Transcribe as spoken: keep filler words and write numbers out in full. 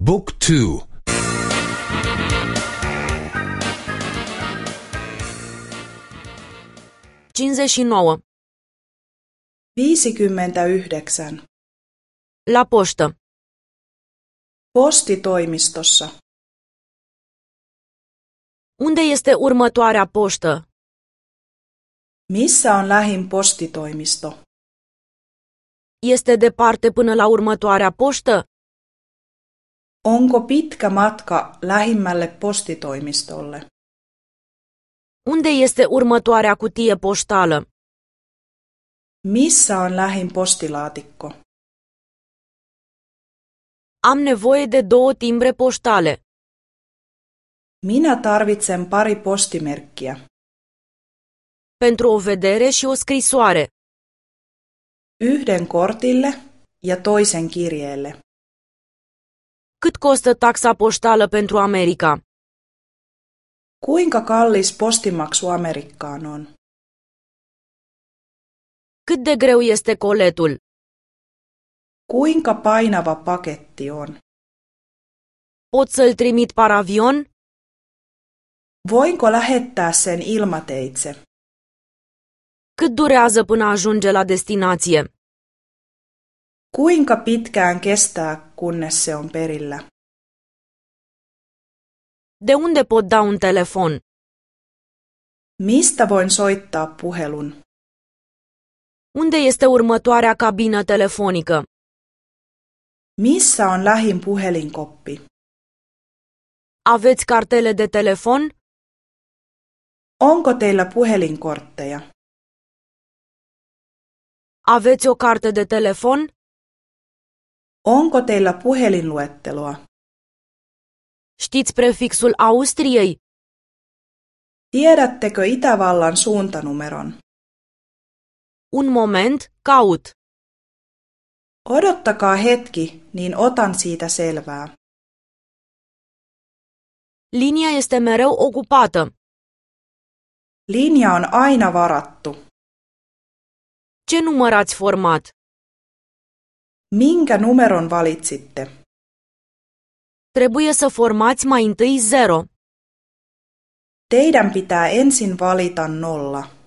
Book two. cincizeci și nouă. viisikymmentäyhdeksän. La poștă. Postitoimistossa. Unde este următoarea poștă? Missä on lähin postitoimisto? Este departe până la următoarea poștă? Onko pitkä matka lähimmälle postitoimistolle? Unde este următoarea cutie poștală? Missä on lähin postilaatikko? Am nevoie de două timbre poștale. Minä tarvitsen pari postimerkkiä. Pentru o vedere și o scrisoare. Yhden kortille ja toisen kirjeelle. Cât costă taxa poștală pentru America? Kuinka kallis postimaksu Amerikkaan on? Cât de greu este coletul? Kuinka painava paketti on? Pot să-l trimit par avion? Voinko lähettää sen ilmateitse? Cât durează până ajunge la destinație? Kuinka pitkään kestää, kunnes se on perillä? De unde pot da un telefon? Mistä voin soittaa puhelun? Unde este următoarea cabină telefonică? Missä on lähin puhelinkoppi? Aveți cartele de telefon? Onko teillä puhelinkortteja? Aveți o carte de telefon? Onko teillä puhelinluetteloa? Știți prefixul Austriei? Tiedättekö Itävallan suuntanumeron? Un moment, caut. Odottakaa hetki, niin otan siitä selvää. Linia este mereu ocupată. Linja on aina varattu. Ce număr ați format? Minkä numeron valitsitte? Trebuie să formați mai întâi zero. Teidän pitää ensin valita nolla.